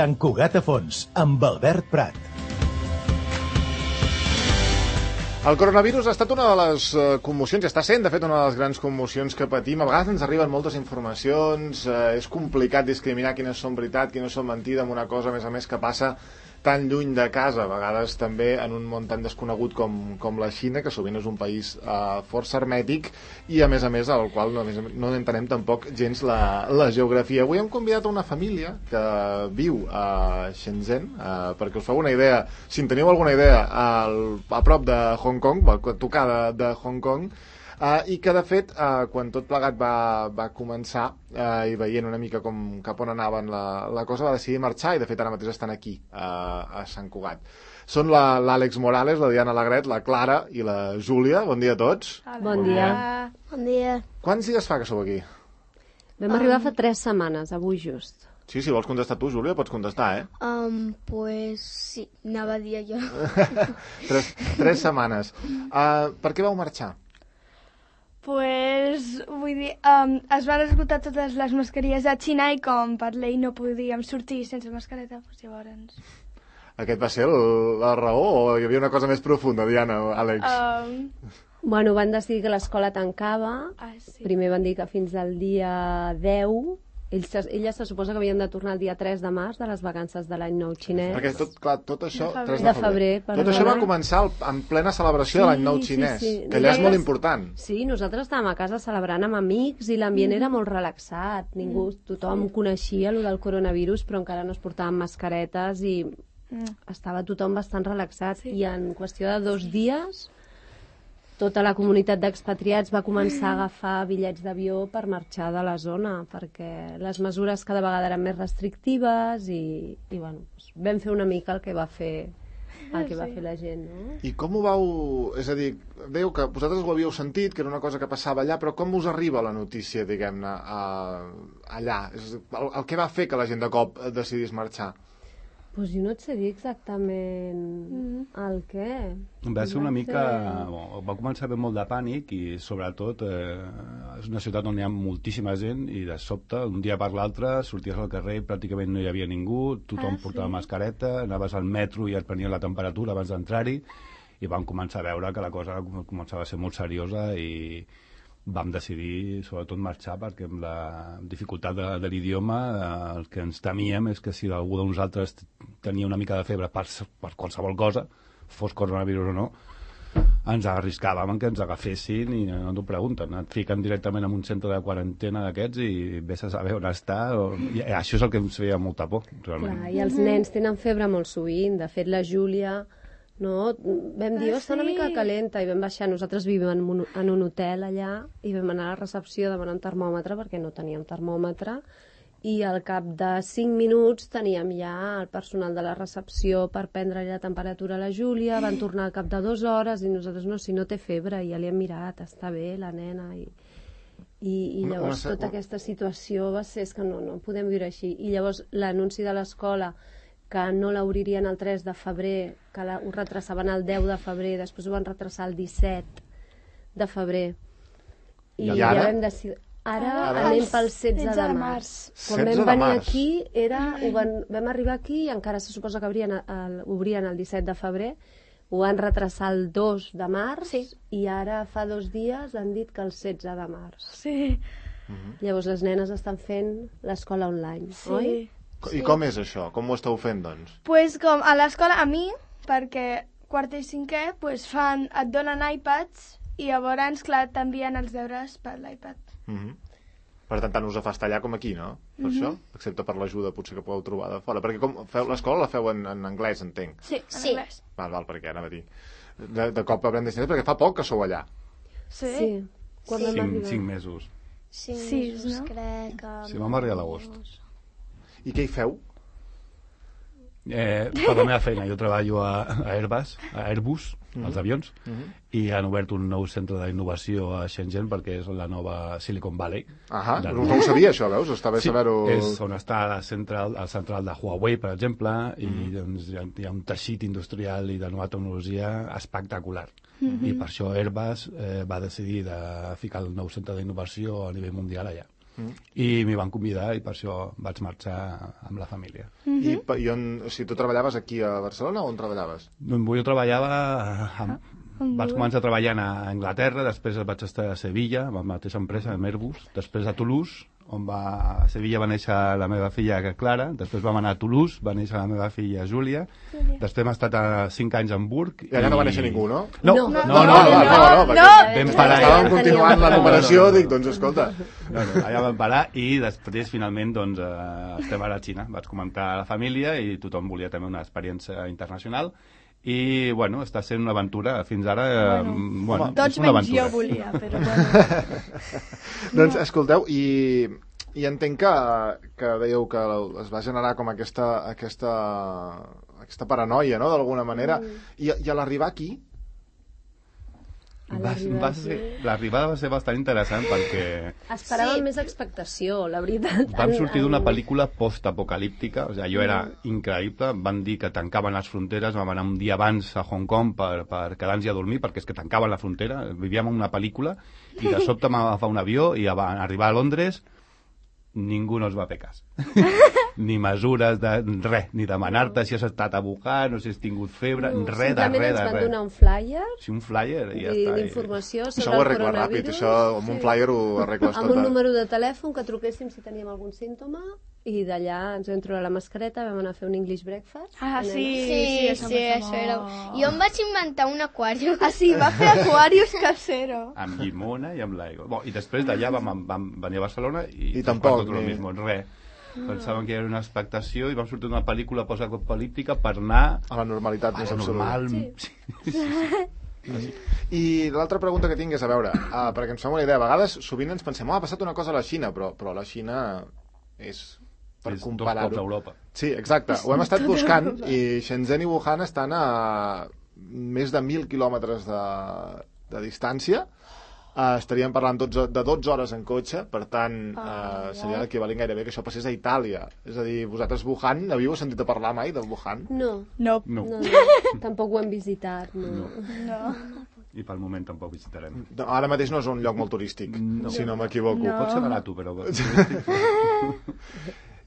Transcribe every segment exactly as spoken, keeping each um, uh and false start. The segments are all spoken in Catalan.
Sant Cugat a fons, amb Albert Prat. El coronavirus ha estat una de les commocions, i està sent, de fet, una de les grans commocions que patim. A vegades ens arriben moltes informacions, eh, és complicat discriminar quines són veritat, quines són mentida, amb una cosa, a més a més, que passa tan lluny de casa, a vegades també en un món tan desconegut com, com la Xina, que sovint és un país eh, força hermètic i a més a més al qual no, no entenem tampoc gens la, la geografia. Avui hem convidat a una família que viu a Shenzhen, eh, perquè us feu una idea, si en teniu alguna idea, al, a prop de Hong Kong, a tocar de, de Hong Kong, Uh, i que de fet uh, quan tot plegat va, va començar uh, i veient una mica com, cap on anaven la, la cosa, va decidir marxar i de fet ara mateix estan aquí uh, a Sant Cugat. Són l'Àlex Morales, la Diana Alegret, la Clara i la Júlia. Bon dia a tots. Hola. Bon dia. Bon dia. Quants dies fa que sou aquí? Vam um... arribar fa tres setmanes, avui just. Sí, si vols contestar tu, Júlia, pots contestar, eh? Um, pues sí, anava a dir jo. tres, tres setmanes. Uh, per què vau marxar? Pues, vull dir, um, es van esgotar totes les mascarilles a Xina i com per llei no podíem sortir sense mascareta, doncs llavors... Aquest va ser el, la raó o hi havia una cosa més profunda, Diana, Àlex? Um... Bueno, van decidir que l'escola tancava, ah, sí. Primer van dir que fins al dia deu, ells, elles se suposa que havien de tornar el dia tres de març de les vacances de l'any nou xinès. Perquè tot, clar, tot això... De tres de febrer. Tot això va començar en plena celebració sí, de l'any nou xinès, sí, sí. que allà és molt important. Sí, nosaltres estàvem a casa celebrant amb amics i l'ambient mm. era molt relaxat. Ningú, tothom sí. coneixia allò del coronavirus, però encara no es portaven mascaretes i mm. estava tothom bastant relaxat. Sí. I en qüestió de dos dies... tota la comunitat d'expatriats va començar a agafar bitllets d'avió per marxar de la zona, perquè les mesures cada vegada eren més restrictives i, i bueno, vam fer una mica el que va fer el que va fer la gent, no? I com ho vau... És a dir, dèieu que vosaltres ho havíeu sentit, que era una cosa que passava allà, però com us arriba la notícia, diguem-ne, allà? És, el, el que va fer que la gent de cop decidís marxar? Pues jo no et sé dir exactament mm. el què. Va ser una mica... Bon, va començar a haver molt de pànic i sobretot eh, és una ciutat on hi ha moltíssima gent i de sobte, un dia per l'altre, sorties al carrer i pràcticament no hi havia ningú, tothom ah, portava sí? mascareta, anaves al metro i et prenien la temperatura abans d'entrar-hi i vam començar a veure que la cosa començava a ser molt seriosa i vam decidir sobretot marxar perquè amb la dificultat de, de l'idioma eh, el que ens temíem és que si algú de nosaltres tenia una mica de febre per, per qualsevol cosa, fos coronavirus o no, ens arriscàvem en que ens agafessin i no t'ho pregunten, et fiquen directament en un centre de quarantena d'aquests i vés a saber on està o... I això és el que ens feia molta por realment. Clar, i els nens tenen febre molt sovint, de fet la Júlia no, vam dir, oh, està una mica calenta i vam baixar, nosaltres vivim en un, en un hotel allà i vam anar a la recepció a demanar un termòmetre perquè no teníem termòmetre i al cap de cinc minuts teníem ja el personal de la recepció per prendre la temperatura a la Júlia, van tornar al cap de dues hores i nosaltres no, si no té febre, i ja li hem mirat, està bé la nena i, i, i llavors tota aquesta situació va ser, és que no, no podem viure així, i llavors l'anunci de l'escola que no l'obririen el tres de febrer, que la, ho retraçaven el deu de febrer, després ho van retraçar el disset de febrer. I, I ara? Ja vam decidir... Ara, ara anem pel setze de març. Quan vam venir aquí, era, ho van, vam arribar aquí i encara se suposa que obrien el, obrien el disset de febrer, ho van retraçar el dos de març sí. i ara fa dos dies han dit que el setze de març. Sí. Uh-huh. Llavors les nenes estan fent l'escola online, sí. oi? I com és això? Com ho esteu fent, doncs? Pues com a l'escola, a mi, perquè quart i cinquè, pues fan, et donen iPads i llavors, clar, t'envien els deures per l'iPad. Mm-hmm. Per tant, tant us afasta allà com aquí, no? Per mm-hmm. això? Excepte per l'ajuda, potser que podeu trobar de fora. Perquè com feu l'escola la feu en, en anglès, entenc. Sí, en sí. anglès. Val, val, perquè anava a dir. De, de cop aprem d'estines, perquè fa poc que sou allà. Sí. Sí. Quan sí. vam Cinc, arribar? cinc mesos. Cinc sí, mesos, no? crec. Que... Sí, vam arribar a l'agost. I què hi feu? Eh, per la meva feina, jo treballo a, a Airbus, a Airbus, mm-hmm. als avions, mm-hmm. i han obert un nou centre d'innovació a Shenzhen perquè és la nova Silicon Valley. Ah, no, no ho sabia això, veus? Està bé sí, saber-ho... és on està la central, el central de Huawei, per exemple, mm-hmm. i doncs, hi, ha, hi ha un teixit industrial i de nova tecnologia espectacular. Mm-hmm. I per això Airbus eh, va decidir de ficar el nou centre d'innovació a nivell mundial allà. Mm. I m'hi van convidar i per això vaig marxar amb la família. I, pa- i on, o sigui, tu treballaves aquí a Barcelona o on treballaves? Doncs jo treballava... Amb, vaig començar treballant a Anglaterra, després vaig estar a Sevilla, amb la mateixa empresa, amb Airbus, després a Toulouse, on va, a Sevilla va néixer la meva filla Clara, després vam anar a Toulouse, va néixer la meva filla Júlia, després hem estat a cinc anys a Hamburg... I allà no va néixer ningú, no? No, No, no, no, no, no, no, no, no, perquè vam parar estàvem allà. continuant la numeració, dic, doncs escolta... No, no, allà vam parar i després finalment doncs, eh, estem ara a Xina. Vaig comentar a la família i tothom volia també una experiència internacional i bueno, està sent una aventura fins ara, eh, Bueno, bueno, Tots és una menys jo aventura. volia, però bueno. Doncs escolteu, i, i entenc que, que dèieu que es va generar com aquesta, aquesta, aquesta paranoia, no?, d'alguna manera, i, i a l'arribar aquí... A Va, l'arribada va aquí. ser, l'arribada va ser bastant interessant perquè Esperàvem més expectació, la veritat. vam En- sortir d'una en- pel·lícula post-apocalíptica, o sigui, allò era increïble, van dir que tancaven les fronteres, vam anar un dia abans a Hong Kong per, per quedar-nos a dormir, perquè és que tancaven la frontera, vivíem en una pel·lícula, i de sobte vam agafar un avió i a arribar a Londres ningú no es va fer cas. Ni mesures de res, ni demanar-te si has estat a Wuhan o si has tingut febre, No, res de simplement res ens de van res. donar un flyer Sí, un flyer i ja i està. d'informació Això sobre ho el arregla ràpid, coronavirus. això amb un flyer ho arregles Amb tot. un número de telèfon que truquéssim si teníem algun símptoma i d'allà ens vam trobar la mascareta, vam anar a fer un English breakfast. Ah, sí, Sí, sí, sí, això, em va fer això era... molt. Jo em vaig inventar un aquari. Ah, sí, va fer Aquarius casero. Amb llimona i amb l'aigua. Bon, i després d'allà vam, vam venir a Barcelona i, I tampoc, tot el ni- mismo, res. Pensàvem que era una expectació i vam sortir d'una pel·lícula post-apocalíptica per anar A la normalitat més a absoluta. normal. Sí. Sí. I l'altra pregunta que tinc és, a veure, uh, perquè ens fem una idea, a vegades sovint ens pensem, oh, ha passat una cosa a la Xina, però, però la Xina és, per És dos comparar-ho... cops a Europa. Sí, exacte, ho hem estat buscant i Shenzhen i Wuhan estan a més de mil quilòmetres de, de distància. Uh, estaríem parlant dotze, de dotze hores en cotxe, per tant uh, seria l'equivalent gairebé que això passés a Itàlia. És a dir, vosaltres Wuhan, havíeu sentit a parlar mai del Wuhan? No, No. No. no, no, tampoc ho hem visitat, no. No. I pel moment tampoc visitarem. No, ara mateix no és un lloc molt turístic, No. si no m'equivoco. No. Pot ser barat, però...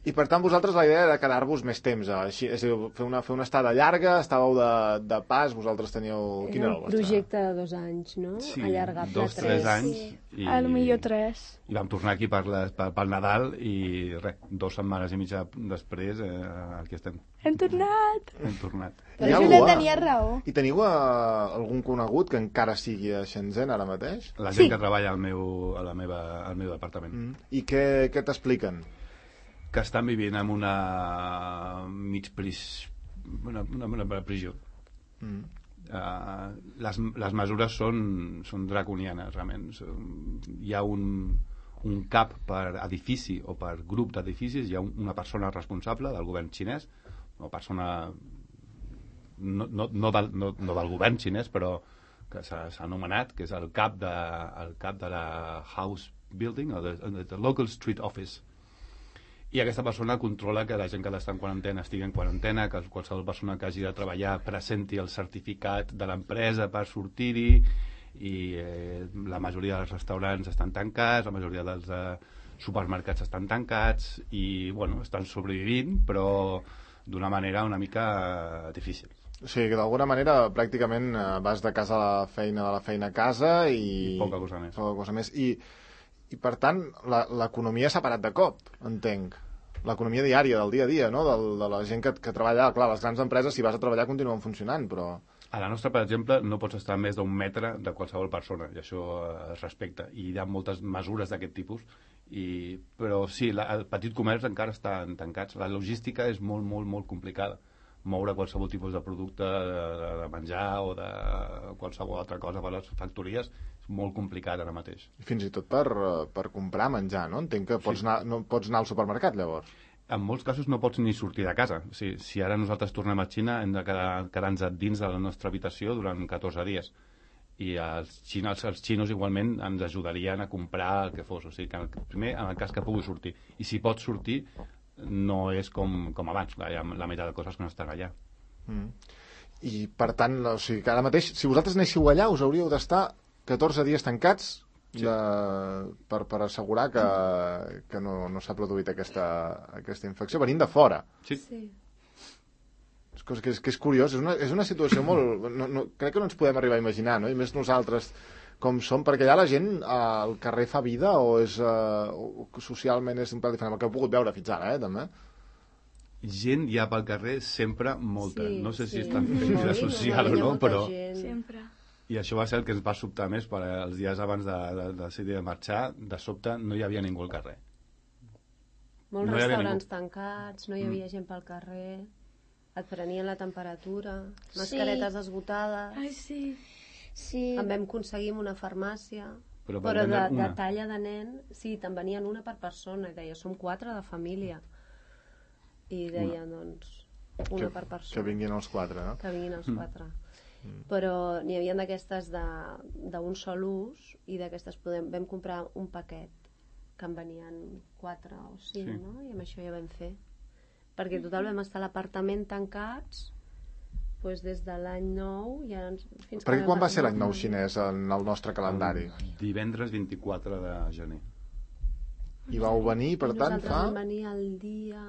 I per tant vosaltres la idea era quedar-vos més temps així, és a dir, fer una, fer una estada llarga, estàveu de, de pas, vosaltres teníeu... Quin Era era el un vostre? projecte de dos anys, no? Sí, Allargable dos, a tres tres. anys. I, Al millor tres. I vam tornar aquí per les, per, pel Nadal i res, dues setmanes i mitja després eh, aquí estem. Hem tornat. Hem tornat. Hi ha Però algú, Júlia eh? tenia raó. I teniu uh, algun conegut que encara sigui a Shenzhen ara mateix? La gent Sí. que treballa al meu, a la meva, al meu departament. Mm. I què, què t'expliquen? Que estan vivint en una mig pris... una, una, una prisió. Mm. Uh, les, les mesures són, són draconianes, realment. Són, hi ha un, un cap per edifici o per grup d'edificis, hi ha un, una persona responsable del govern xinès, o persona no, no, no, del, no, no del govern xinès, però que s'ha s'ha anomenat, que és el cap de, el cap de la House Building, o de, de, de Local Street Office. I aquesta persona controla que la gent que està en quarantena estigui en quarantena, que qualsevol persona que hagi de treballar presenti el certificat de l'empresa per sortir-hi, i eh, la majoria dels restaurants estan tancats, la majoria dels eh, supermercats estan tancats, i bueno, estan sobrevivint, però d'una manera una mica eh, difícil. O sigui, que d'alguna manera pràcticament eh, vas de casa a la feina, de la feina a casa i... I poca cosa més. Poca cosa més. I, i per tant, la- l'economia s'ha parat de cop, entenc. L'economia diària, del dia a dia, no? Del, de la gent que, que treballa... Clar, les grans empreses, si vas a treballar, continuen funcionant, però... A la nostra, per exemple, no pots estar a més d'un metre de qualsevol persona, i això eh, es respecta. I hi ha moltes mesures d'aquest tipus, i... però sí, la, el petit comerç encara estan tancats. La logística és molt, molt, molt complicada. Moure qualsevol tipus de producte, de, de menjar o de qualsevol altra cosa per les factories és molt complicat ara mateix. Fins i tot per, eh, per comprar menjar, no? Entenc que pots, Sí. anar, no pots anar al supermercat, llavors. En molts casos no pots ni sortir de casa. O sigui, si ara nosaltres tornem a Xina hem de quedar, quedar-nos dins de la nostra habitació durant catorze dies. I els, xines, els xinos igualment ens ajudarien a comprar el que fos. O sigui, que primer, en el cas que pugui sortir. I si pots sortir, no és com, com abans. Hi ha la meitat de coses que no estan allà. Mm. I, per tant, o sigui, que ara mateix, si vosaltres anéssiu allà, us hauríeu d'estar catorze dies tancats sí. de, per, per assegurar que, que no, no s'ha produït aquesta, aquesta infecció, venint de fora. Sí. Sí. És, que és, que és curiós, és una, és una situació molt... No, no, crec que no ens podem arribar a imaginar, no? I més nosaltres com som, perquè allà la gent eh, al carrer fa vida o és eh, o socialment és un pèl diferent, el que heu pogut veure fins ara, eh, també. Gent hi ha pel carrer sempre molta. Sí, no sé si sí. estan fent vida social o no, però... Sempre. I això va ser el que ens va sobtar més, per els dies abans de, de, de decidir de marxar, de sobte no hi havia ningú al carrer. Molts No hi havia restaurants ningú. tancats, no hi havia gent pel carrer, et prenien la temperatura, mascaretes esgotades... Ai, sí. Sí. En vam aconseguir en una farmàcia, Però però, per de, vendre de una. talla de nen, sí, te'n venien una per persona, i deia, som quatre de família. I deia, doncs, una que, per persona. Que vinguin els quatre, no? Que vinguin els quatre. Mm. Però n'hi havia d'aquestes d'un sol ús, i d'aquestes podem, vam comprar un paquet, que en venien quatre o cinc, Sí. no? I amb això ja vam fer. Perquè total vam estar a l'apartament tancats, doncs des de l'any nou ja ens, fins Perquè que quan va vam ser l'any arribar. nou xinès en el nostre calendari? Divendres vint-i-quatre de gener. I vau venir, per I tant, nosaltres fa... vam venir el dia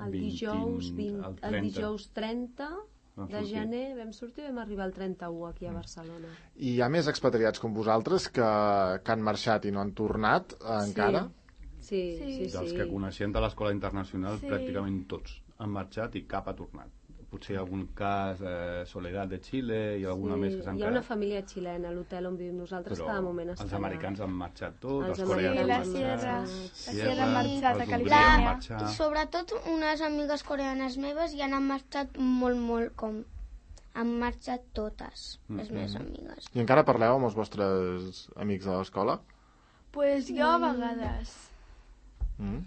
el vint, dijous vint, el el trenta. dijous trenta Vam de sortir. gener vam sortir i vam arribar el trenta-u aquí a Barcelona. I hi ha més expatriats com vosaltres que, que han marxat i no han tornat eh, encara? Sí, sí, sí. Dels sí. que coneixem de l'escola internacional, Sí. pràcticament tots han marxat i cap ha tornat. Potser algun cas, eh, Soledad de Xile i alguna Sí, més que s'han hi ha una quedat. família xilena a l'hotel on vivim nosaltres, Però cada moment està els allà. americans han marxat tots, Els els, Sí, coreans la han Sierra. marxat, La Sierra ha marxat a els hongries Califòrnia. han I marxat. sobretot unes amigues coreanes meves ja han marxat molt, molt com... Han marxat totes, les meves amigues. I encara parleu amb els vostres amics de l'escola? Pues jo a vegades. Mm?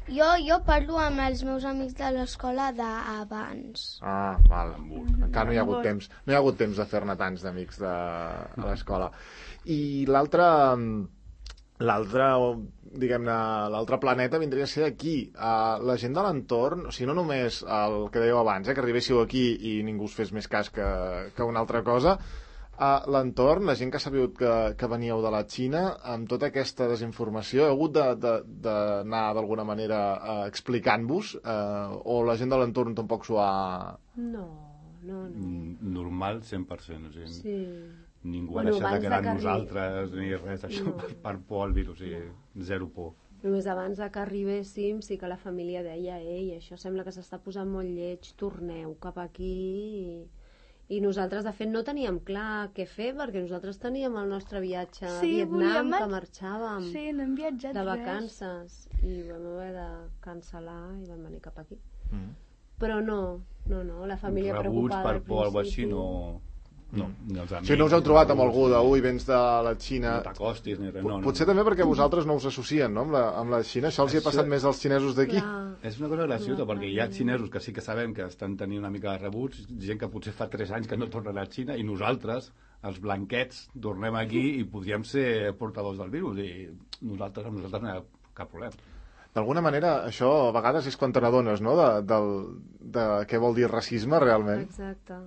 Jo, jo parlo amb els meus amics de l'escola d'abans. Ah, val. Encara no hi ha hagut temps. No hi ha hagut temps de fer-ne tants d'amics de, de l'escola. I l'altre... L'altre, diguem-ne, l'altre planeta vindria a ser aquí. Uh, la gent de l'entorn, o sigui, no només el que dèieu abans, eh, que arribéssiu aquí i ningú us fes més cas que, que una altra cosa, uh, l'entorn, la gent que ha sabut que, que veníeu de la Xina, amb tota aquesta desinformació, heu hagut d'anar d'alguna manera uh, explicant-vos, uh, o la gent de l'entorn tampoc s'ho ha... No, no, no. Mm, Normal, cent per cent. O sigui, Sí. Ningú Bueno, ha deixat de abans quedar de que amb arri- nosaltres ni res d'això No. per, per por al virus, o sigui, zero por. Només abans de que arribéssim sí que la família deia ei, això sembla que s'està posant molt lleig, torneu cap aquí i, i nosaltres de fet no teníem clar què fer perquè nosaltres teníem el nostre viatge a Sí, Vietnam volíem mar- que marxàvem Sí, no hem viatjat de res. vacances i vam haver de cancel·lar i vam venir cap aquí. Mm. Però no, no, no, la família Rebuts preocupada per al por o alguna principi. així, no... No, ni els O amics, sigui, no us heu trobat amb rebuts, algú de, ni- ui, vens de la Xina... No t'acostis ni res, no, no. Potser també perquè vosaltres no us associen, no?, amb la, amb la Xina. Això els hi ha Això- passat més als xinesos d'aquí. Clar, És una cosa graciosa, Clar, perquè hi ha xinesos que sí que sabem que estan tenint una mica de rebuts, gent que potser fa tres anys que no tornen a Xina, i nosaltres, els blanquets, tornem aquí i podríem ser portadors del virus, i nosaltres, amb nosaltres no hi ha cap problema. D'alguna manera, això a vegades és quan te n'adones, no?, de, del, de què vol dir racisme, realment. exacte.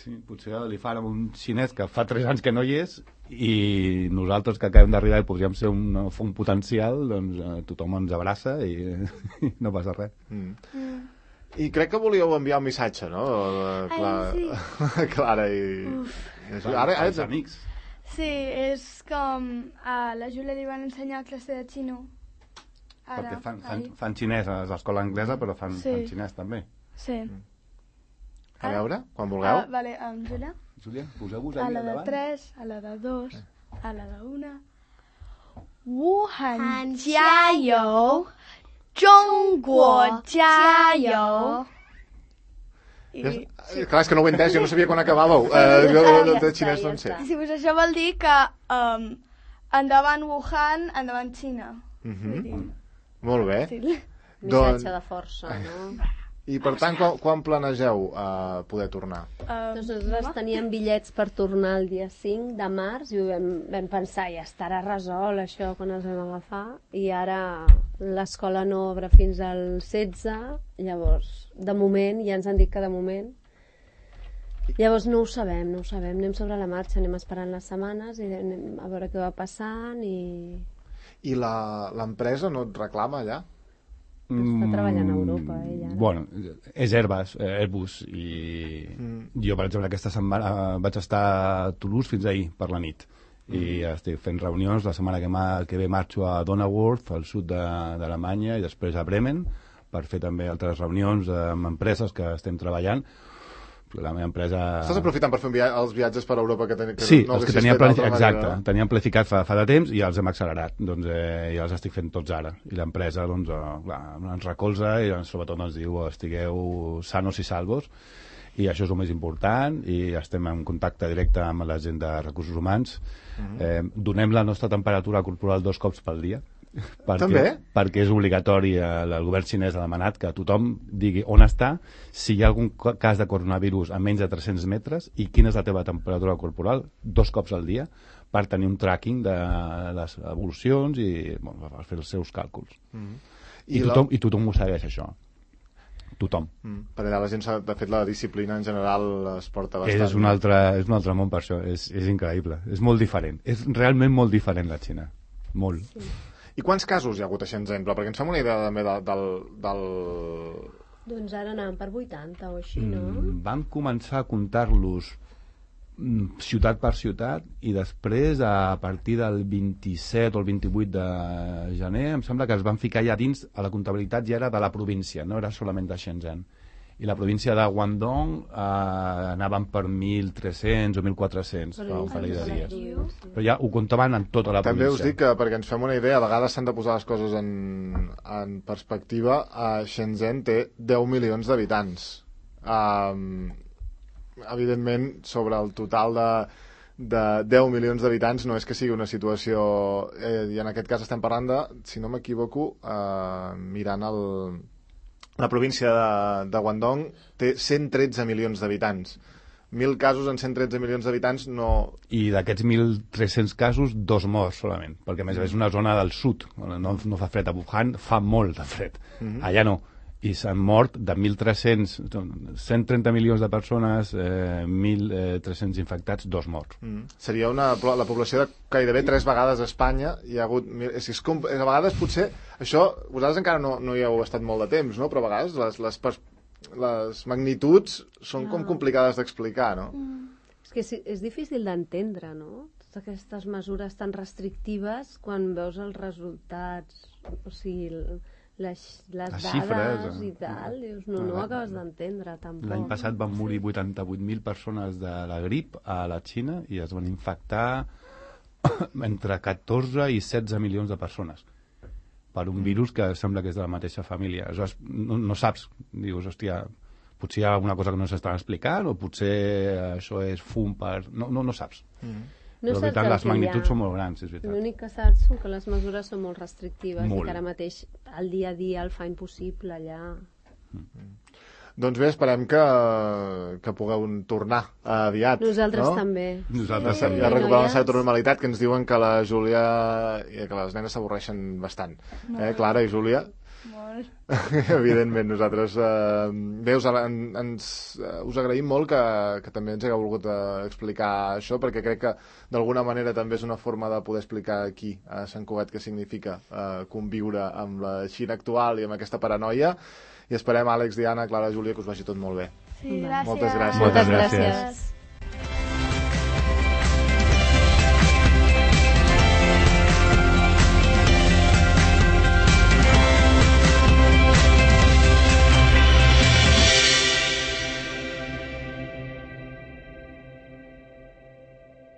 Sí, potser li fan amb un xinès que fa tres anys que no hi és i nosaltres que acabem d'arribar i podríem ser un, un potencial, doncs eh, tothom ens abraça i, i no passa res. Mm. Mm. I crec que volíeu enviar un missatge, no?, Ai, Cla... Clara i... i ara, ara... Els amics. Sí, és com a la Júlia li van ensenyar classe de xino. Ara, Perquè fan, fan, ahir. fan xinès a l'escola anglesa, però fan, Sí. fan xinès també. Sí. A veure, quan vulgueu. Ah, vale, amb Júlia. Júlia, poseu-vos A aquí la al de davant. tres, a la de dos, a la de una. Wuhan Han jiayou, Zhongguo jiayou. I, Ja, eh, clar, és que no ho he entès, jo no sabia quan acabàveu. Eh, jo Ja de, de està, xinès ja no en sé. està. sí, pues això vol dir que um, endavant Wuhan, endavant Xina. Mhm. Vull dir, Molt bé. sí. Missatge de força, no? I per tant, quan, quan planegeu uh, poder tornar? Um, Doncs nosaltres teníem bitllets per tornar el dia cinc de març i ho vam, vam pensar, ja estarà resolt això quan els vam agafar, i ara l'escola no obre fins al setze, llavors, de moment, ja ens han dit que de moment Llavors no ho sabem, no ho sabem. Anem sobre la marxa, anem esperant les setmanes i anem a veure què va passant i... I la- l'empresa no et reclama allà? Està treballant a Europa, ella. Ara. Bueno, és Airbus, eh, Airbus i Mm. jo, per exemple, aquesta setmana vaig estar a Toulouse fins ahir per la nit i estic fent reunions. La setmana que, ma, que ve marxo a Donauwörth, al sud de- d'Alemanya, i després a Bremen per fer també altres reunions amb empreses que estem treballant. La meva empresa... Estàs aprofitant per fer un via els viatges per Europa que, ten, que Sí, no els que haguessis tenia fet d'altra planificat, manera, exacte, no? teníem planificat fa, fa de temps i els hem accelerat, doncs eh, ja els estic fent tots ara, i l'empresa doncs, eh, clar, ens recolza i sobretot ens diu estigueu sanos i salvos, i això és el més important, i estem en contacte directe amb la gent de recursos humans. eh, donem la nostra temperatura corporal dos cops pel dia, perquè, També? perquè és obligatori, el, el govern xinès ha demanat que tothom digui on està, si hi ha algun co- cas de coronavirus a menys de tres-cents metres i quina és la teva temperatura corporal, dos cops al dia, per tenir un tracking de les evolucions i bueno, per fer els seus càlculs. I, I la- tothom, I tothom ho segueix, això. Tothom. Mm. Per allà la gent, s'ha- de fet, la disciplina en general es porta bastant. És un, altre, és un altre món per això, és, és increïble, és molt diferent, és realment molt diferent la Xina, molt. Sí. I quants casos hi ha hagut a Shenzhen? Però perquè ens fem una idea també del... del, del... Doncs ara anàvem per vuitanta o així, no? Mm, vam començar a comptar-los mm, ciutat per ciutat i després a partir del vint-i-set o el vint-i-vuit de gener em sembla que es van ficar ja dins, a la comptabilitat ja era de la província, no era solament de Shenzhen, i la província de Guangdong eh, anaven per mil tres-cents o mil quatre-cents fa un parell de dies, però ja ho comptaven en tota la També província. us dic que, perquè ens fem una idea, a vegades s'han de posar les coses en, en perspectiva. A Shenzhen té deu milions d'habitants. Um, evidentment, sobre el total de, de deu milions d'habitants no és que sigui una situació... Eh, I en aquest cas estem parlant de, si no m'equivoco, eh, mirant el... La província de, de Guangdong té cent tretze milions d'habitants. Mil casos en cent tretze milions d'habitants no... I d'aquests mil tres-cents casos, dos morts solament, perquè a més és una zona del sud, no, no fa fred. A Wuhan fa molt de fred, allà no. I s'han mort de mil tres-cents, cent trenta milions de persones, eh, mil tres-cents infectats, dos morts. Mm. Seria una, la població de gairebé tres vegades a Espanya. Hi ha hagut... És, és, com- a vegades potser... Això, vosaltres encara no, no hi heu estat molt de temps, no? Però a vegades les, les, pers- les magnituds són com complicades d'explicar, no? És que és, és difícil d'entendre, no? Totes aquestes mesures tan restrictives quan veus els resultats, o sigui, el- les, les, Les dades xifres, eh? i tal, dius, no, no ho acabes d'entendre tampoc. L'any passat van morir vuitanta-vuit mil persones de la grip a la Xina i es van infectar entre catorze i setze milions de persones per un virus que sembla que és de la mateixa família. Aleshores, no, no saps, dius, hòstia, potser hi ha alguna cosa que no s'estan explicant o potser això és fum per... No, no, no saps. Mm. No Però, saps veritat, el les que hi ha. magnituds són molt grans, és veritat. L'únic que saps són que les mesures són molt restrictives Molt. i que ara mateix el dia a dia el fa impossible allà. Doncs bé, esperem que, que pugueu tornar aviat. Nosaltres no? també. Nosaltres Ja també. ja recuperar una noies. certa normalitat, que ens diuen que la Júlia i que les nenes s'avorreixen bastant. Eh, Clara i Júlia? Molt. Evidentment, nosaltres eh, bé, us, en, ens, eh, us agraïm molt que, que també ens hagueu volgut eh, explicar això, perquè crec que d'alguna manera també és una forma de poder explicar aquí a Sant Cugat què significa eh, conviure amb la Xina actual i amb aquesta paranoia, i esperem, Àlex, Diana, Clara, Júlia, que us vagi tot molt bé. Sí, gràcies. Moltes gràcies. Moltes Moltes gràcies. gràcies.